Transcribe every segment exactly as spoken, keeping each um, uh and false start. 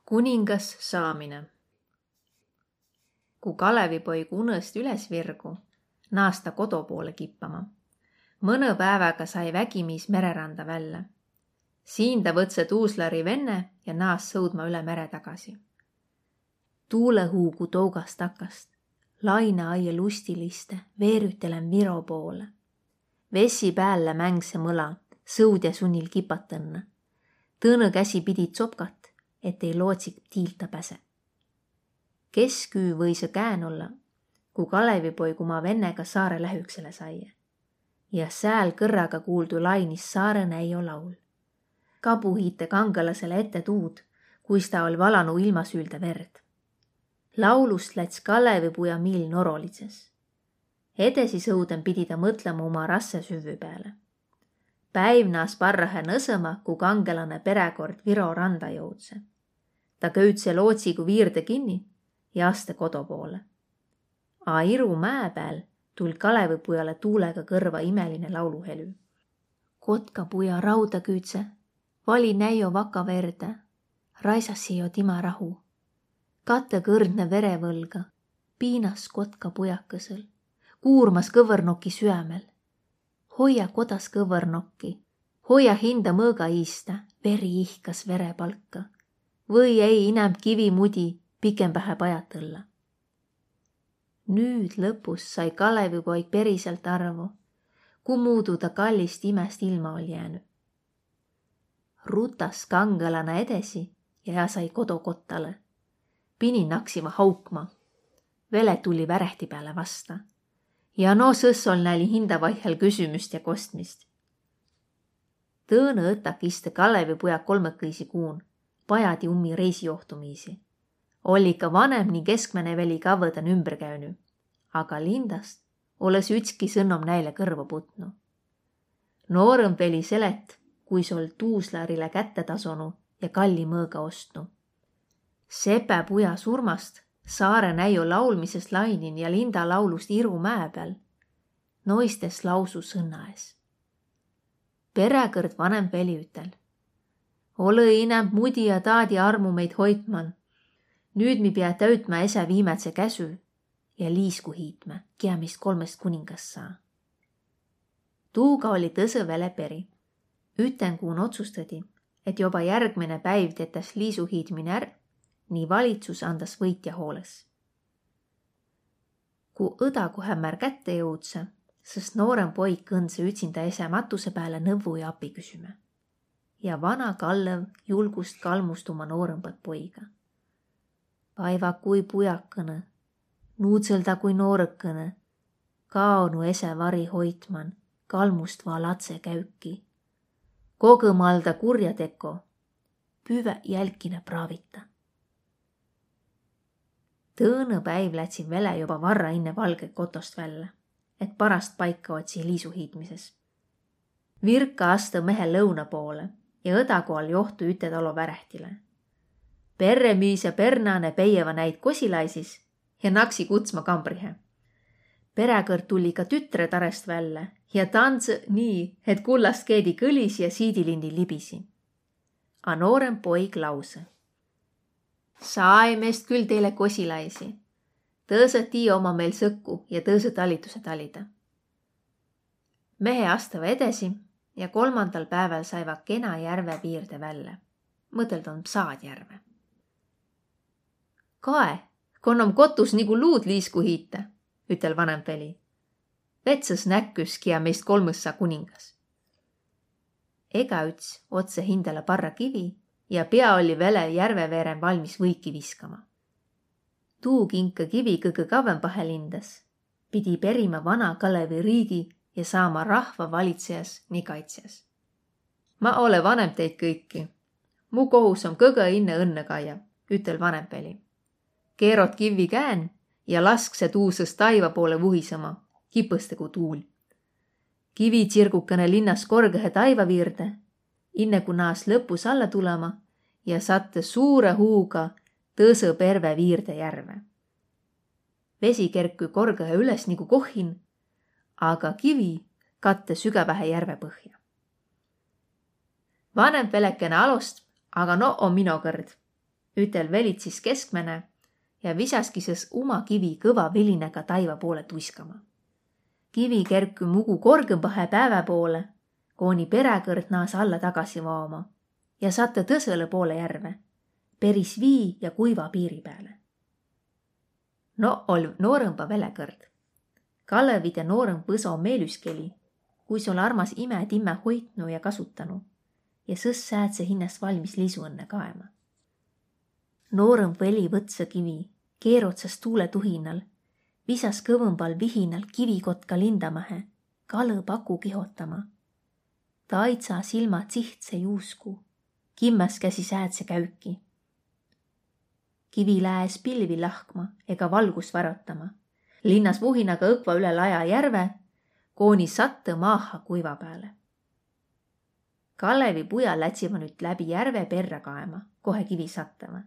Kuningas saamine. Ku Kalevipoig unõst üles virgu, naas ta kodo poole kippama. Mõnõ pääväga sai vägimiis mereranda vällä. Siin ta võtsõ tuuslari venne ja naas sõudma üle mere tagasi. Tuulõhuugu tougas takast, lainõ aia lustiliste veerütelen Viro poole. Vesi päällä mängse mõla, sõudja sunnil kipat õnnõ. Tõõnõ käsi pidi tsopkat, et ei lootsik tiilta päse. Kesküü võisõ käen olla, ku Kalevipoig uma vennega saare lähüksele saie. Ja sääl kõrraga kuuldu lainis saarõ näio laul. Kabuhiite kangelasele ette tuud, kuis ta oll' valanu ilmasüüldä verd. Laulust läts Kalevipuja miil norolidses. Edesi sõuden pidi ta mõtlema uma rasse süvvü pääle. Päiv naas parrahe nõsõma, ku kangelane peräkord Viro randa jõudse. Ta köüdse lootsigu viirde kinni ja aste kodo poole. A Iru mää pääl tull' Kalevipujale tuulega kõrva imeline lauluhelü. Kotkapuja raudaküüdse vali näio vaka verde, raisasi jo tima rahu. Kattekõrdne verevõlga piinas kotkapujakõsõl, kuurmas kõvvõrnoki süämel. Hoia kodas kõvvõrnokki, hoia hinda mõõga iiste, veri ihkas verepalka. Või ei inämb kivi mudi pikembähe pajatõlla. Nüüd lõpus sai Kalevipoig periselt arvo, ku muudu ta kallist imäst ilma oll' jäänü. Rutas kangelane edesi ja ea sai kodo kottalõ. Pini naksiva haukma. Vele tulli värehti pääle vasta. Ja no sõs oll' näil hinda vaihhel küsümüst ja kostmist. Tõõnõ õtak iste Kalevipujak olmõkõisi kuun, pajadi ummi reisijohtumiisi. Oll' ikka vanemb ni keskmäne veli kavvõdan ümbre käünü, aga lindast olõs ütski sõnnom näile kõrvo putnu. Noorõmb veli selet', kuis oll' tuuslarile kätte tasonu ja kalli mõõga ostnu. Sepä puja surmast, saare näio laulmisest lainin ja linda laulust Iru mää pääl, noist es lausu sõnna es. Peräkõrd vanemb veli ütel: Olõ inämb mudi ja taadi armu meid hoitman. Nüüd mi pea täütmä esä viimädse käsü ja liisku hiitmä, kiä meist kolmõst kuningas saa. Tuuga olli tõsõ vele peri. Ütenkuun otsustõdi, et joba järgmäne päiv tetäs liisuhiitmin är, ni valitsus andas võitja hoolõs. Ku õdaguhämmär kätte jõudsõ, sõs noorõmb poig kõndsõ ütsindä esä matuse pääle nõvvu ja api küsümä. Ja vana kallõv julgust kalmust uma noorõmbat poiga: Vaiva kui pujakõnõ, nuudsõlda kui noorõkõnõ, kaonu esä vari hoitman, kalmust va latse käüki. Kogõmalda kurjateko, püvä jälkkinä praavita. Tõõnõ päiv lätsi vele joba varra inne valgõ kotost vällä, et parast paika otsi liisuhiitmises. Virka astõ mehe lõuna poole ja õdagu all johtu üte talo värehtile. Perremiis ja pernáne peieva näid kosilaisis ja naksi kutsma kambrihe. Peräkõrd tulli ka tütre tarest vällä ja tandsõ nii, et kullast keedi kõlisi ja siidilindi libisi. A nooremb poig lausõ: Saai meist kül teile kosilaisi. Tõsõ tii oma meil sõkku ja tõsõ talituse talida. Mehe astava edesi ja kolmandal pääväl saiva kena järve viirde vällä. Mõteld om Psaad järve. Kae, kon om kotus nigu luud liisku hiite, ütel vanemb veli. Vetsas näkküs, kiä meist kolmõs saa kuningas. Egaüts otsõ hindäle parra kivi ja pia olli vele järveveeren valmis võiki viskama. Tuu kinkõ kivi kõgõ kavvembahe lindas, pidi perima vana Kalevi riigi ja saama rahva valitsejas ni kaitsjas. Ma ole vanemb teid kõiki. Mu kohus om kõgõ inne õnnõ kaia, ütel vanemb veli. Keerot kivvi käen ja laskse tuusõs taiva poole vuhisõma, kipõste ku tuul. Kivi tsirgukene linnas korgõhe taiva viirde, inne ku naas lõpus alla tulema ja satte suure huuga tõsõ perve viirde järve. Vesi kerkü korgõhe üles nigu kohhin, aga kivi katte sügävähe järve põhja. Vanemb velekene alost, aga no om mino kõrd. ütel velitsis keskmäne ja visaski sõs uma kivi kõva vilinäga taiva poole tuiskama. Kivi kerkü mugu korgõmbahe päävä poole, koni peräkõrd naas alla tagasi vaoma ja sattõ tõsõlõ poole järve, peris vii ja kuiva piiri pääle. No oll' noorõmba velekõrd. Kalevide noorõmb võso meelüskeli, kuis oll' armas imä timmä hoitnu ja kasutanu, ja sõs säädse hinnäst valmis lisu õnnõ kaema. Noorõmb veli võtsõ kivi, keerotsas tuule tuhinnal, visas kõvõmbal vihinal kivi kotka lindamahe, kalõ paku kihotama. Taidsa silmä tsihtse juusku, kimmäs käsi säädse käüki. Kivi lää es pilvi lahkma ega valgust varotama. Linnas vuhinaga õkva üle laja järve, koni sattõ maaha kuiva pääle. Kalevi puja lätsiva nüüt läbi järve perrä kaema, kohe kivi sattava.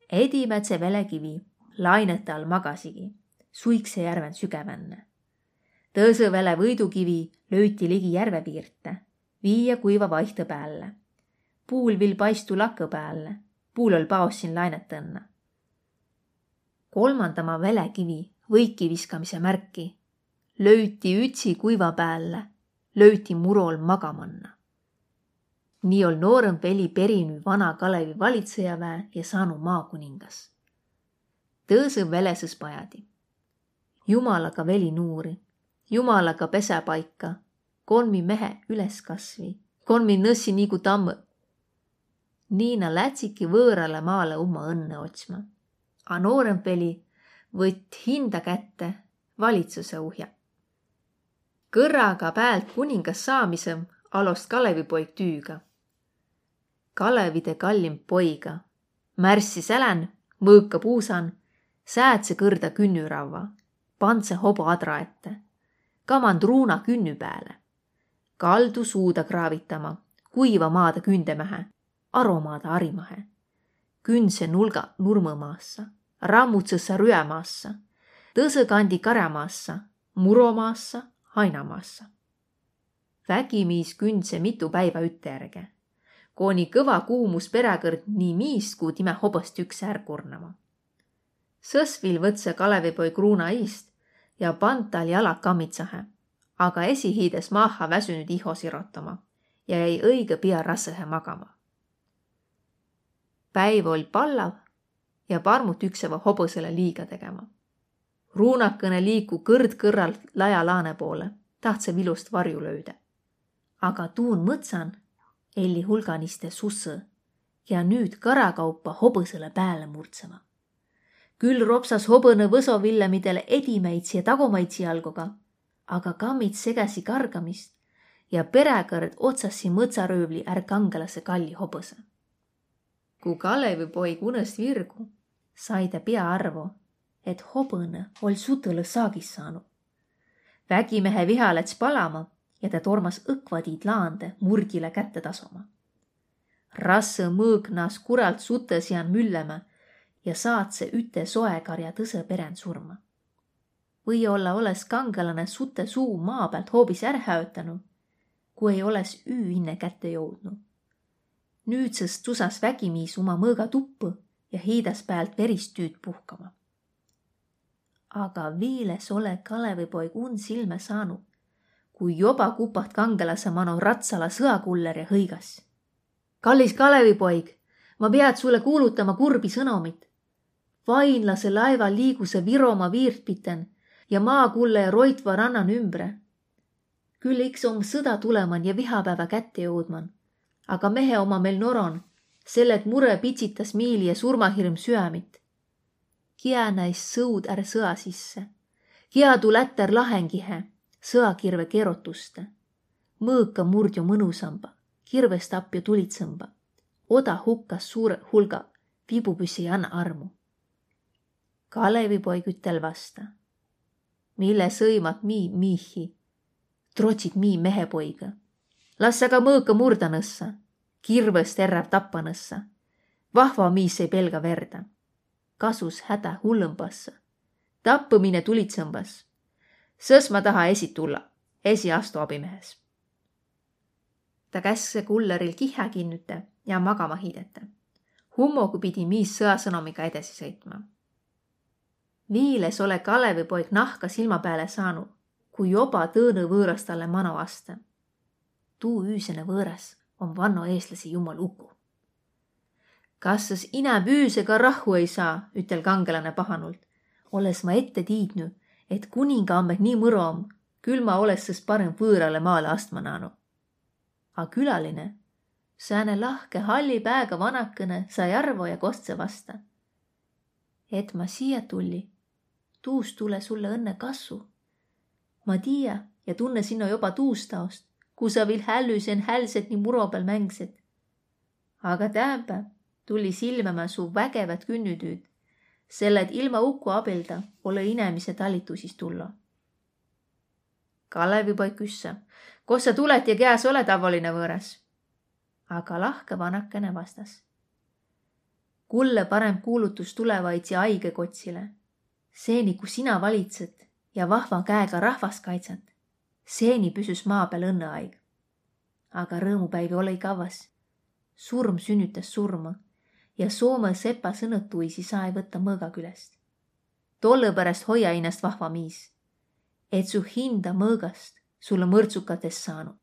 Edimädse velekivi lainete all magasigi, suikse järven sügävänne. Tõsõ vele võidukivi löüti ligi järve viirte, vii ja kuiva vaihtõ päälle. Puul vil paistu lakõ päälle, puul oll' paossin lainetõnnõ. Kolmandama velekivi võiki viskamise märki löüti ütsi kuiva päälle, löüti murol magamanna. Nii oll' noorõmb veli perinü vana Kalevi valitsõjavää ja saanu maakuningas. Tõõsõ vele sõs pajadi. Jumalaga veli nuuri, jumalaga pesäpaika, kon mi mehe üles kasvi, kon mi nõssi nigu tammõ. Nii na lätsiki võõralõ maalõ umma õnnõ otsma. A noorõmb veli võtt hinda kätte valitsuse uhja. Kõrraga päält kuningas saamisõ alost Kalevipoig tüüga. Kalevide kallimb poiga, märssi sälän, mõõka puusan, säädse kõrda künnüravva, pandse hobo adra ette, kamand ruuna künnü pääle, kaldu suuda kraavitama, kuiva maada kündemähe, aromaada arimahe, kündse nulga nurmõ maassa, rammutsõsa rüä maassa, tõsõ kandi karja maassa, muro maassa, haina maassa. Vägimiis kündse mitu päivä ütte ärge, koni kõva kuumus peräkõrd nii miist ku timä hobõst ükse är kurnama. Sõs vil võtsõ Kalevipoig ruuna iist ja pand tal jala kammidsahe, aga esi hiides maaha väsünüid iho sirotama ja jäi õigõ pia rassõhe magama. Päiv oll' pallav ja parmut ükseva hobõsele liiga tegema. Ruunakõnõ liiku kõrd kõrral laja laane poole, tahtsõ vilust varju löüdä. Aga tuun mõtsan elli hulganiste susõ ja nüüt karakaupa hobõsele pääle murdseva. Kül ropsas hobõnõ võsovillemidele edimäidsi ja tagomaidsi jalgoga, aga kammid segäsi kargamist ja peräkõrd otsasi mõtsarüüvli är kangelasõ kalli hobõsõ. Ku Kalevipoig unõs virgu, sai tä pia arvo, et hobõnõ oll' sutõlõ saagis saanu. Vägimehe viha läts palama ja tä tormas õkvadiid laande murgilõ kätte tasoma. Rassõ mõõk naas kuralt sutõ sian müllämä ja saatsõ üte soekarja tõsõ perän surma. Või-olla olõs kangelane sutõ suu maa päält hoobis är häötänu, ku ei olõs üü inne kätte joudnu. Nüüdsest tsusas vägimiis uma mõõga tuppõ ja hiidas päält verist tüüd puhkama. Aga viil es olõ Kalevipoig un silmä saanu, ku joba kupaht kangelasõ mano ratsala sõakuller ja hõigas: Kallis Kalevipoig, ma peat sulle kuulutama kurbi sõnomit. Vainlasõ laeva liigusõ Viroma viirt piten ja maakullaja roitva rannan ümbre. Kül iks om sõda tuleman ja vihapäävä kätte joudman, aga mehe oma mel noron, selle et murõ pitsitas miili ja surmahirm süämit. Kiä näis sõud är sõa sisse? Kiä tuu lättär lahengihe, sõakirve kerotuste? Mõõka murdjo mõnusamba, kirvestapjo tulitsõmba. Oda hukkas suure hulga vibupüssi anna armu. Kalevipoig ütel vasta: Mille sõimat mii miihi? Trotsit mii mehepoigõ. Las aga mõõka murdanõssa, kirvõst erräv tappanõssa. Vahva miis ei pelga verdä. Kasus hätä hullõmbassõ. Tappõ mine tulitsõmbas. Sõs ma taha esi tulla, esi astu abimehes. Ta kässe kulleril kihhä kinnütä ja magama hiidätä. Hummogu pidi miis sõasõnomiga edesi sõitma. Viil es ole Kalevipoig nahka silma pääle saanu, kui joba tõõnõ vööras talle mano aste. Tuu üüsene vööras om vanno eestlasi jummal uku. Kas sõs inäb üüsega rahhu ei saa, ütel kangelane pahanult. Oles ma ette tiidnu, et kuninga ammeh nii mõro om, kül ma oles sõs parem vöörale maale astma naanu. A külaline, sääne lahke halli pääga vanakene, sai arvo ja kostse vasta: Et ma siia tulli, tuust tule sulle õnne kassu. Ma tiia ja tunne sinno joba tuust aost, ku sa viil hällüsen hälset ni muro peal mängset. Aga täämpä tulli silmämä su vägevat künnütüüd, selle et ilma uku abilda ole inemise talitusis tullo. Kalevipoig küsse: Kos sa tulet ja keas ole tavoline vööras? Aga lahke vanakene vastas: Kulle parem kuulutus tulevaidsi aige kotsile. Seeni, ku sina valitset ja vahva käega rahvast kaitsat, seeni püsüs maa peal õnneaig. Aga rõõmupäivi olõ-i kavvas. Surm sünnütäs surma ja Soome sepa sõnatuisi saa-i võtta mõõga külest. Tollõ peräst hoia innast vahva miis, et su hinda mõõgast sulle mõrdsukat es saanu.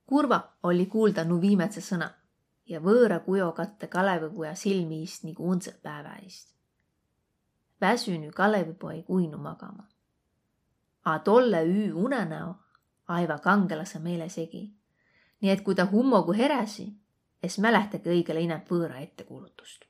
Kurva olli kuulda nu viimädse sõna ja vööra kujo katte Kalevipuja silmi iist nigu undsõ päävä iist. Väsünü Kalevipoig uinu magama. A tolle üü unenäo aiva kangelasõ meele segi. Nii et kui ta hummogu heräsi, es mälehtagi õigele inämb vööra ettekuulutust.